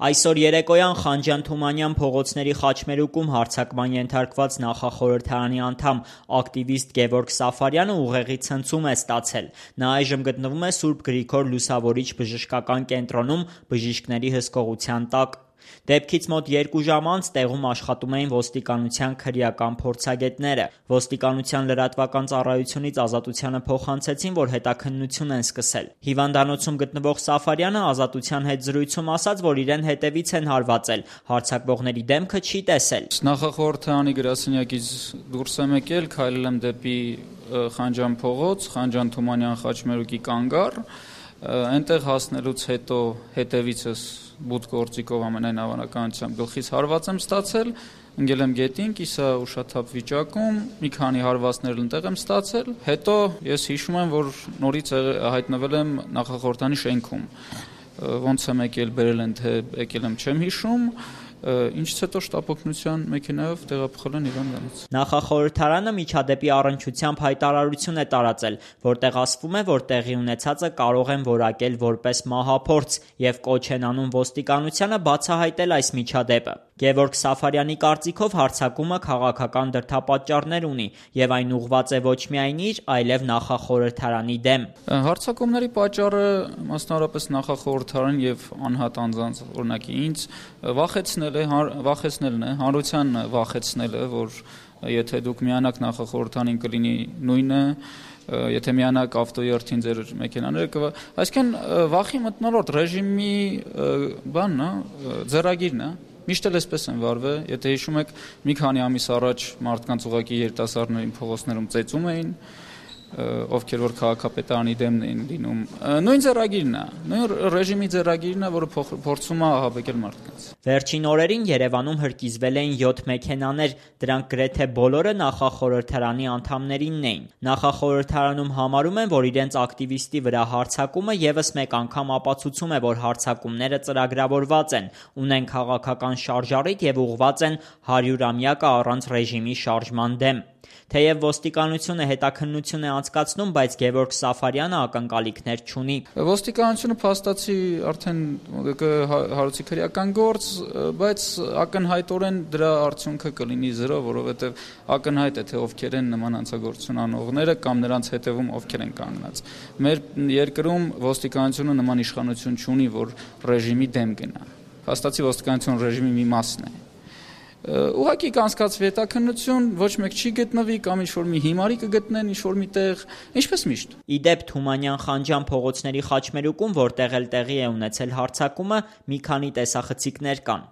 Այսօր երեկոյան Խանջան-Թումանյան փողոցների խաչմերուկում հարձակման ենթարկված նախախորհրդարանի անդամ ակտիվիստ Գևորգ Սաֆարյանը ուղեղի ցնցում է ստացել։ Նա այժմ գտնվում է Սուրբ Գրիգոր Լուսավորիչ բժշկական կենտրոնում բժիշկների հսկողության տակ։ Դեպքից մոտ 2 ժամ անց տեղում աշխատում էին ոստիկանության քրեական փորձագետները։ Ոստիկանության լրատվական ծառայությունից Ազատությանը փոխանցեցին, որ հետաքննություն են սկսել։ Հիվանդանոցում գտնվող Սաֆարյանը Ազատության հետ զրույցում ասաց, որ իրեն հետևից են հարվածել, հարձակվողների դեմքը չի տեսել։ Նախախորհրդարանի գրասենյակից դուրս եմ եկել, քայլել եմ դեպի Խանջան փողոց, Խանջան-Թումանյան խաչմերուկի կանգառ, այնտեղ հասնելուց հետո հետևիցս բութ գործիքով ամենայն հավանականությամբ գլխից հարված եմ ստացել, ընկել եմ գետին, կիսա ուշաթափ վիճակում, մի քանի հարվածներ ընտեղ եմ ստացել, հետո ես հիշում եմ, որ նորից հայտնվել եմ նախախորհրդանի շենքում, ոնց եմ եկել, բերել են, թե եկել եմ, չեմ հիշում, ինչից հետո շտապօգնության մեքենայով տեղափոխել են հիվանդանոց։ Նախախորհրդարանը միջադեպի առնչությամբ հայտարարություն է տարածել, որտեղ ասվում է, որ տեղի ունեցածը կարող են որակել որպես մահափորձ եւ կոչ են անում ոստիկանությանը բացահայտել այս միջադեպը։ Գևորգ Սաֆարյանի կարծիքով հարձակումը քաղաքական դրդապատճառներ ունի եւ այն ուղղված է ոչ միայն իր, այլև նախախորհրդարանի դեմ։ Հարձակումների պատճառը մասնավորապես նախախորհրդարան եւ անհատ անձանց, օրինակ ինձ վախեցնելն է, հանրության վախեցնելը, որ եթե դուք միանաք նախախորհրդանին կլինի նույնը, եթե միանաք ավտոյերթին ձեր մեքենաները այսինքն վախի մթնոլորտ ռեժիմի բանն է, ձեռագիրն է։ Միշտ էլ այսպես են վարվել, եթե հիշում եք, մի քանի ամիս առաջ մարդկանց ուղղակի երիտասարդներին փողոցներում ծեծում էին, ովքեր որ քաղաքապետարանի դեմն էին լինում, նույն ձեռագիրն է, նույն ռեժիմի ձեռագիրն է, որը փորձում է ահաբեկել մարդկանց։ Վերջին օրերին Երևանում հրկիզվել էին 7 մեքենաներ, դրանք գրեթե բոլորը նախախորհրդարանի անդամներինն էին։ Նախախորհրդարանում համարում են, որ իրենց ակտիվիստի վրա հարձակումը եւս մեկ անգամ ապացուցում է, որ հարձակումները ծրագրավորված են, ունեն քաղաքական շարժառիթ եւ ուղղված են 100-ամյակը առանց ռեժիմի շարժման դեմ։ Թեև ոստիկանությունը հետաքննություն է անցկացնում, բայց Գևորգ Սաֆարյանը ակնկալիքներ չունի։ Ոստիկանությունը փաստացի արդեն հարուցի քրեական գործ, բայց ակնհայտորեն դրա արդյունքը կլինի 0, որովհետև ակնհայտ է, թե ովքեր են նման հանցագործություն անողները կամ նրանց հետևում ովքեր են կանգնած։ Մեր երկրում ոստիկանությունը նման իշխանություն չունի, որ ռեժիմի դեմ գնա։ Փաստացի ոստիկանությունը ռեժիմի մի մասն է։ Ուղղակի կանցկացվի հետաքննություն, ոչ մեկ չի գտնվի կամ ինչ-որ մի հիմարի կգտնեն ինչ-որ մի տեղ, ինչպես միշտ։ Իդեպ Թումանյան-Խանջան փողոցների խաչմերուկում, որտեղ էլ տեղի է ունեցել հարձակումը, մի քանի տեսախցիկներ կան։